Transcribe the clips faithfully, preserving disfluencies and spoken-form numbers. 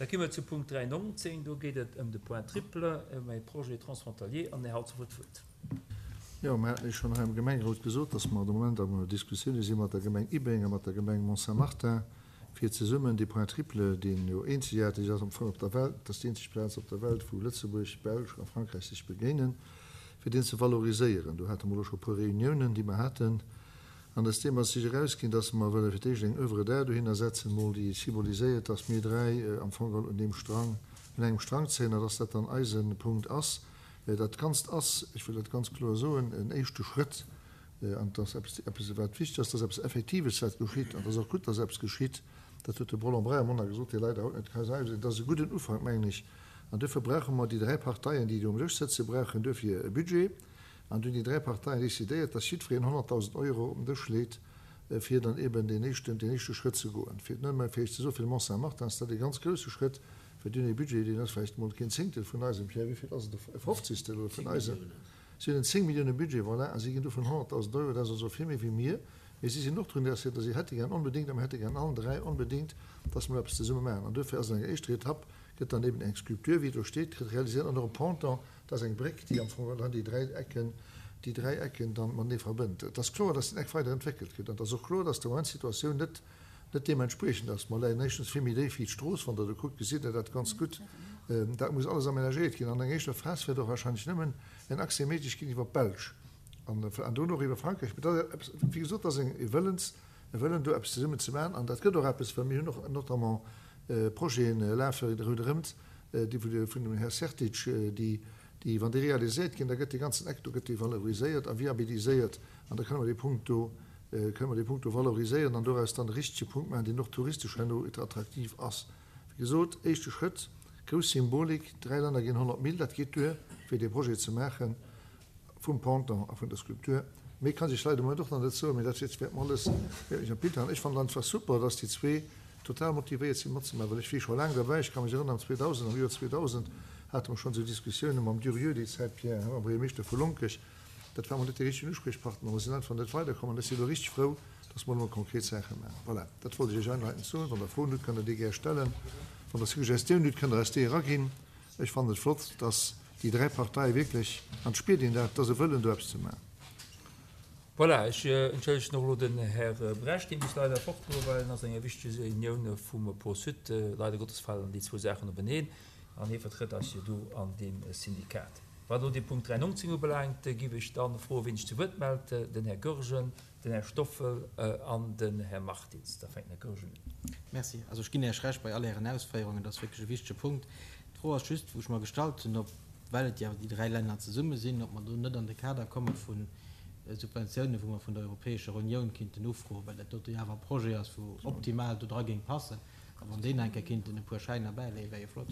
Da komme mer zu Punkt dräi nonzéng. Do geet et ëm de Point triple, ëm e Projet transfrontalier, an den Här Halsdorf huet d'Wuert. Jo, mer haten Iech schonn hei am Gemengerot gesot, dass mer de Moment am Diskussioune si mat der Gemeng Ibeng a mat der Gemeng Mont-Saint-Martin, fir zesummen dee Point triple, deen jo eenzegaarteg ass am Fong op der Welt, dat ass déi eenzeg Plaz op der Welt, wou Lëtzebuerg, d'Belsch a Frankräich sech begéinen, fir deen ze valoriséieren. Do hate mer elo scho e puer Reuniounen, déi mer haten. An aus deem ass sech erausginn, dass mer wëlle fir d'éischt eng Oeuvre d'art dohinner setzen, emol déi symboliséiert, dass mir dräi am Fong geholl un deem Strang, un engem Strang zéien a dass dat dann eise Punkt ass. Dat Ganzt ass, ech wëll dat ganz kloer soen, en éischte Schrëtt an et ass eppes, eppes wat wichteg ass, dass eppes Effektives wat geschitt. An et ass och gutt, dass eppes geschitt. Dat huet de Roland Breyer am Monat gesot, dee leider haut net ka hei sinn. Dat ass e gudden Ufank, mengen ech. An duerfir brauche mer, déi dräi Parteien, déi do um Dësch sëtzen, brauchen duerfir e Budget. An du hunn déi dräi Parteien décidéiert, dass jiddwereen honnertdausend Euro op den Dësch leet, fir dann eben deen éischten, deen éischte Schrëtt ze goen. Fir nëmme fir Iech ze soen, fir de Mont-Saint-Martin ass dat e ganz grouse Schrëtt, well déi hunn e Budget, deen ass vläicht emol keen Zéngtel vun eisem, Pierre, wéi vill ass et, e Fofzigstel oder vun eisem? Si hunn en zéng Millioune Budget, voilà, a si ginn dovun honnertdausend Euro, dat ass also vill méi wéi mir. Mee si sinn och drun interesséiert a si hätte gär onbedéngt, a mir hätte gär allen dräi onbedéngt, dass mer eppes zesumme maachen. An duerfir ass an enger éischter Etapp, gëtt dann eben eng Sculpture, wéi do steet, realiséiert an och e Ponton, Dat ass eng Bréck, déi am Fong dann déi dräi Ecken, déi dräi Ecken dann matenee verbënnt. Et ass kloer, dass den Eck weider entwéckelt gëtt. An et ass och kloer, dass de Moment d'Situatioun net, net deementspriechend ass. Mer leien éischtens vill méi déif wéi d'Strooss. Wann Der do kuckt, gesitt Der dat ganz gutt. Dat muss alles amenagéiert ginn. An enger éischter Phas wäert och wahrscheinlech nëmmen en Accès méiglech ginn iwwer d'Belsch an, an dono och iwwer Frankräich. Mee dat ass eppes, wéi gesot, dat ass e Wëllens, e Wëllen do eppes zesummen ze maachen. An dat gëtt och eppes, well mir hunn och notamment Projeten lafe ronderëmt, déi vun dem Här Sertic, déi, déi, wann déi realiséiert ginn, da gëtt dee ganzen Eck do gëtt dee valoriséiert a viabiliséiert an da kënne mer dee Punkt do, kënne mer dee Punkt do valoriséieren an doraus dann e richtege Punkt maachen, deen och touristesch herno attraktiv ass. Wéi gesot, éischte Schrëtt, grouss Symbolik, dräi Länner ginn honnert Mille, dat geet duer, fir dee Projet ze maachen. Vum Ponton a vun der Skulptur. Méi kann ech leider de Moment och nach net soen, mee dat wäert mer alles wäert mech am Bild halen. Ech fannen et einfach super, dass déi zwee total motivéiert sinn matzemaachen, well ech wier scho laang derbäi. Ech ka mech erënneren, am zweedausend, am Joer zweedausend hate mer schonn esou Diskussiounen mam Durieux déi Zäit, Pierre, mam Buergermeeschter vu Lonkech. Dat war emol net dee richtegen Uspriechpartner, mer sinn einfach net weiderkomm an ech si elo richteg frou, dass mer elo mol konkret Saache maachen. Voilà, dat wollt ech Iech einleitend soen. Wann Der Froen hutt, kënnt Der déi gär stellen. Wann Der Suggestiounen hutt, kënnt Der eis déi eraginn. Ech fannen et flott, dass déi dräi Parteie wierklech, an et spiert een dat, dass e Wëllen do eppes ze maachen. Voilà, ech entschëllegen och elo den Här Brecht, dee muss leider fortgoen, well en ass an enger wichtege Reunioun vum Pôle Sud. Leider Gottes falen déi zwou Saachen openeen an hie vertrëtt eis jo do an deem Syndikat. Wat elo dee Punkt dräiundneunzeg ubelaangt, géif ech dann froen, wien sech zu Wuert mellt, den Här Goergen, den Här Stoffel an den Här Martins. Da fänkt den Här Goergen un. Merci. Also ech ginn Iech Recht bei all Ären Ausféierungen. Dat ass wierklech e wichtege Punkt. D'Fro ass just, wou ech mer gestallt hunn, ob, well et jo awer déi dräi Länner zesumme sinn, ob mer do net an de Kader komme vu Subventiounen, wou mer vun der Europäescher Unioun kinnten ufroen, well dat dote jo awer e Projet ass, wou optimal do dra géing passen. A wann déi nach eng Kéier kinnten e puer Schäiner bäileeën, wär jo flott.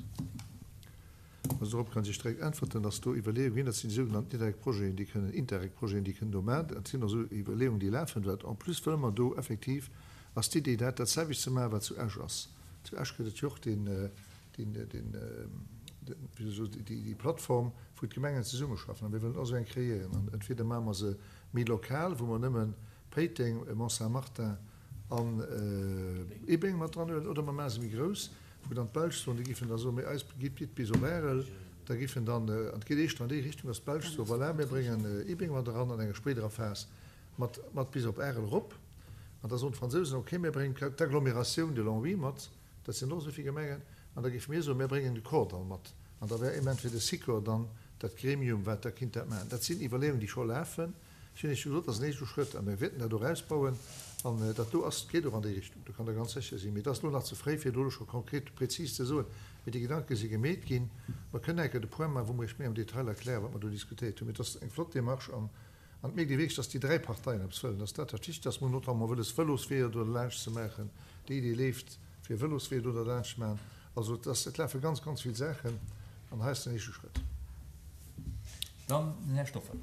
Also dorop kann ech Iech direkt äntwerten, dass do Iwwerleeunge ginn. Dat sinn déi sougenannten Interreg-Projeten, déi kënnen, Interreg-Projeten, déi kënnen do maachen. Dat sinn also Iwwerleeungen, déi lafen. Wat en plus wëlle mer do effektiv, ass d'Idee, dat dat selwecht ze maachen, wat zu Esch ass. Zu Esch gëtt et jo och deen, déi Plattform, wou d'Gemengen zesummeschaffen. A mir wëllen och esou eng kreéieren. An entweder maache mer se méi lokal, wou mer nëmme Péiteng, Mont-Saint-Martin an Ibeng mat dran huelen, oder mer maache se méi grouss, wou dann d'Belsch soen, déi géifen da soen, mee eis gitt gitt bis op Arel. Da géifen dann, an et geet éischter an déi Richtung, datt d'Belsch soen, voilà, mir bréngen Ibeng mat eran an enger spéiderer Phas mat mat bis op Arel erop. An da soen d'Fransousen, okay, mir bréngen d'Agglomératioun de Longwy mat, dat sinn och esou vill Gemengen. An da géife mir soen, mir bréngen de Kordall mat. An da wär eben entweder de Sikor dann dat Gremium, wat da kinnt dat maachen. Dat sinn Iwwerleeungen, déi scho lafen. Ech hunn Iech jo gesot, dat ass en éischte Schrëtt a mir wäerten dat och ausbauen. An dat do ass, geet och an déi Richtung, do kann Der ganz sécher sinn. Mee et ass elo nach ze fréi, fir do elo scho konkret, prezis ze soen. Mee déi Gedanke si gemeet ginn. Mer kënnen eng Kéier de Point maachen, wou mer Iech méi am Detail erklären, wat mer do diskutéiert hunn. Mee et ass eng flott Démarche an An et mierkt ee wierklech, dass déi dräi Parteien eppes wëllen, dass dat dat Wichtegst ass. Mir hunn notamment wëlles, Vëlosweeër do derlaanscht ze maachen. Déi Idee leeft, fir Vëlosweeër do derlaanscht ze maachen. Also et ass, et lafe ganz, ganz vill Saachen an hei ass den éischte Schrëtt. Dann den Här Stoffel.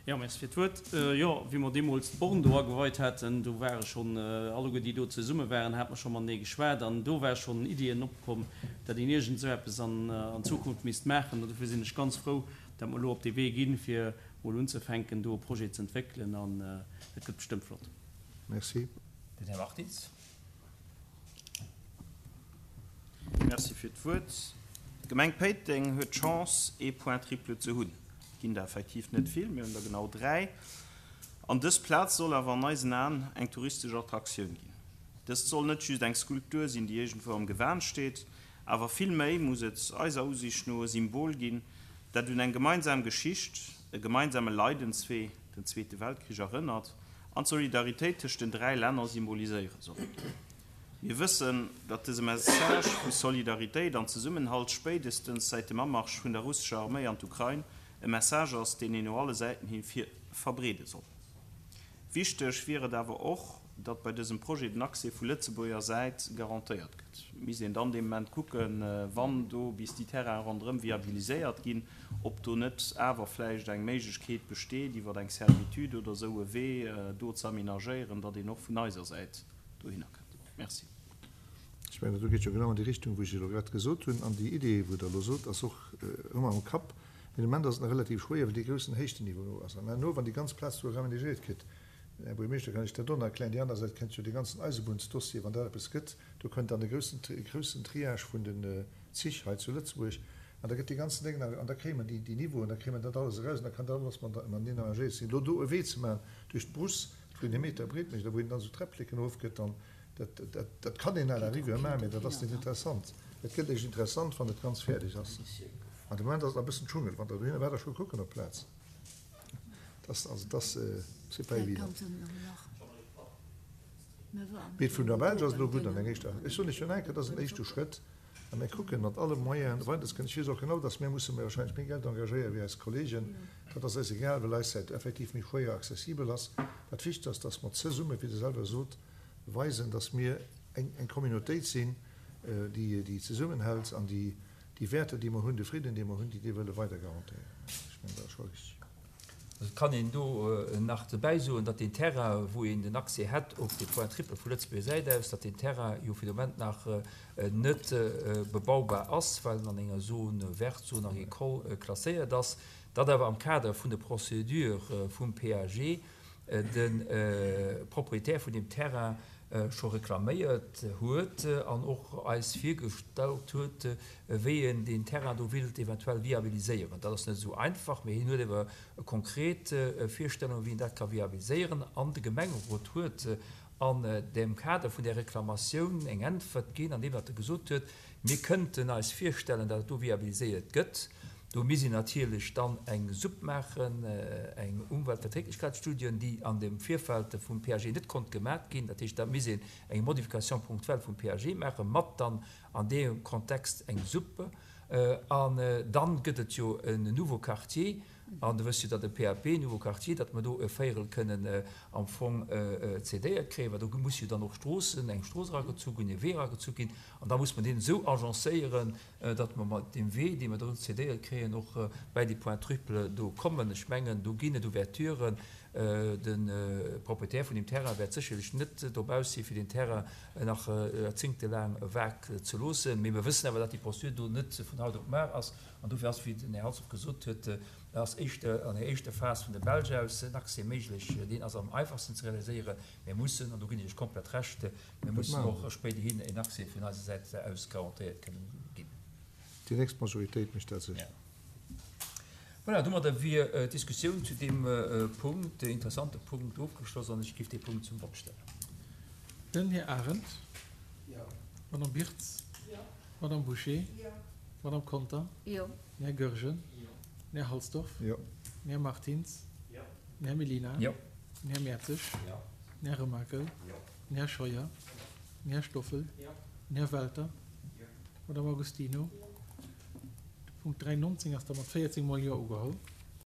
Jo, merci fir d'Wuert. Jo, wéi mer deemools d'Born do ageweit haten, do ware schonn alleguer déi do zesumme waren, hate mer scho matenee geschwat an do ware schonn Iddien opkomm, datt een iergend esou eppes an Zukunft misst maachen. An dofir sinn ech ganz frou, datt mer elo op dee Wee ginn, fir mol unzefänken do e Projet ze entwéckelen an et gëtt bestëmmt flott. Merci. Den Här Martins. Merci fir d'Wuert. D'Gemeng Péiteng huet d'Chance, ee Point triple ze hunn. Et ginn der effektiv net vill, mir hunn der genau dräi. An dës Plaz soll awer an eisen Aen eng touristesch Attraktioun ginn. Dëst soll net just eng Skulptur sinn, déi iergendwou am Gewan steet, awer vill méi muss et eiser Usiicht no e Symbol ginn, dat un eng gemeinsam Geschicht, e gemeinsame Leidenswee, den Zweete Weltkrich, erënnert an d'Solidaritéit tëscht den dräi Länner symboliséiere soll. Mir wëssen, datt dëse Message vu Solidaritéit an Zesummenhalt spéidestens säit dem Amarsch vun der russescher Arméi an d'Ukrain e Message ass, deen een no alle Säiten hi verbreede soll. Wichteg wier et awer och, datt bei dësem Projet den Accès vu Lëtzebuerger Säit garantéiert gëtt. Et misst een dann dee Moment kucken, wann do bis déi Terrainen ronderëm viabiliséiert ginn, ob do net awer vläicht eng Méiglechkeet besteet, iwwer eng Servitude oder esou e Wee do ze aménagéieren, datt een och vun eiser Säit dohinner kënnt. Merci. Ech mengen, dat do geet jo genau an déi Richtung, wou ech elo grad gesot hunn. An déi Idee, wou Der elo sot, ass och ëmmer am Kapp. Mee de Moment ass et nach relativ schwéier, well dee groussen Héichtenniveau do ass. An herno, wann déi ganz Plaz do ramenagéiert kritt, Här Buergermeeschter, kann ech dat och nach erklären, déi aner Säit kennt jo dee ganzen Eisebunnsdossier, wann dat eppes gëtt, do kënnt dann de groussen, groussen Triage vun den Zich hei zu Lëtzebuerg an da gëtt dee ganzen Déng nach, an da kréie mer déi, déi Niveauen, da kréie mer dat alles eraus an da kann dat alles mateneen arrangéiert sinn. Elo do e Wee ze maachen duerch d'Brousse, wou een e Meter breet mécht a wou een dann esou Träppleken erofgëtt, dann, Dat, dat, dat kann een à la rigueur maachen, mee dat ass net interessant. Et gëtt eréischt interessant, wann et ganz fäerdeg ass. An de Moment ass et nach e bëssen Dschungel. Wann Der dohinner waart, da scho kucken op d'Plaz. Dat ass, also dat ass, c'est pas évident. Mee vun der Belsch ass et elo gutt an eng éischter, ech soen lech jo nach eng Kéier, dat ass en éischte Schrëtt a mir kucken mat alle Moyenen weiderzekommen. Ech weess och genau, dass mir musse méi wahrscheinlech méi Geld engagéieren wéi eis Kollegen. Dat ass eis egal, well eis Säit effektiv méi schwéier accessibel ass. Wat wichteg ass, dass mer zesumme, wéi Der selwer sot, weisen, dass mir eng Communautéit sinn, déi zesummenhält an déi déi Wäerter, déi mer hunn, de Fridden, dee mer hunn, déi déi wëlle weider garantéieren. Ech mengen, dat ass scho richtig. Et kann een do nach dobäi soen, datt deen Terrain, wou een den Accès hätt op de Point triple vu Lëtzebuerger Säit aus, datt deen Terrain jo fir de Moment nach net bebaubar ass, well en an enger Zone verte, Zone agricole klasséiert ass, datt awer am Kader vun de Procédure vum PAG de Propriétaire vun deem Terrain scho reklaméiert huet an och eis virgestallt huet, wéi en deen Terrain do willt eventuell viabiliséieren. Dat ass net esou einfach, mee hien huet ewer konkret Virstellungen, wéi en dat ka viabiliséieren. An de Gemengerot huet an dem Kader vun där Reklamatioun eng Äntwert ginn, andeem datt e gesot huet, Mir kënnten eis virstellen, datt et do viabiliséiert gëtt. Do misst een natierlech dann eng SUP maachen, eng Umweltverträglichkeitsstudie, déi an dem Virfeld vum PAG net konnt gemat ginn. Dat heescht, da misst een eng Modification ponctuelle vum PAG maachen, mat dann an deem Kontext eng SUP. An dann gëtt et jo en nouveau Quartier, an Der wësst jo, datt e PAP, nouveau Quartier, datt mer do e Véierel kënnen am Fong cédéiert kréien, well do muss jo dann och Stroossen, eng Strooss eragezu ginn, e Wee eragezu ginn, an da muss mer deen esou agencéieren, datt mer mat deem Wee, dee mer do cédéiert kréien, och bäi déi Point triple do kommen. Ech mengen, do ginn et Ouverturen. De Propriétaire vun deem Terrain wäert sécherlech net drop aus sinn, fir deen Terrain nach joerzéngtelaang vague ze loossen. Mee mir wëssen awer, datt déi Procédure do net vun haut op mar ass. An dofir ass, wéi den Här Halsdorf gesot huet, ass éischter an der éischter Phas vun der Belsch aus en Accès méiglech. Deen ass am einfachsten ze realiséieren. Mir mussen, an do ginn ech lech komplett Recht, mir mussen och spéiderhin en Accès vun eiser Säit aus garantéiert kënnen ginn. Déi nächst Majoritéit mécht dat sécher. Voilà, domadder wier d'Diskussioun zu deem Punkt, interessante Punkt, ofgeschloss an ech géif dee Punkt zum Vott stellen. Den Här Arendt. Jo. D'Madame Birtz. Jo. D'Madame Bouché. Jo. D'Madame Conter. Jo. Den Här Goergen. Jo. Den Här Halsdorf. Jo. Den Här Martins. Jo. Den Här Mellina. Jo. Den Här Mertzig. Jo. Den Här Remakel. Jo. Den Här Scheuer. Jo. Den Här Stoffel. Jo. Den Här Welter. Jo. D'Madame Agostino. Jo. De Punkt dräiundneunzeg ass da mat véierzéng mol Jo ugeholl.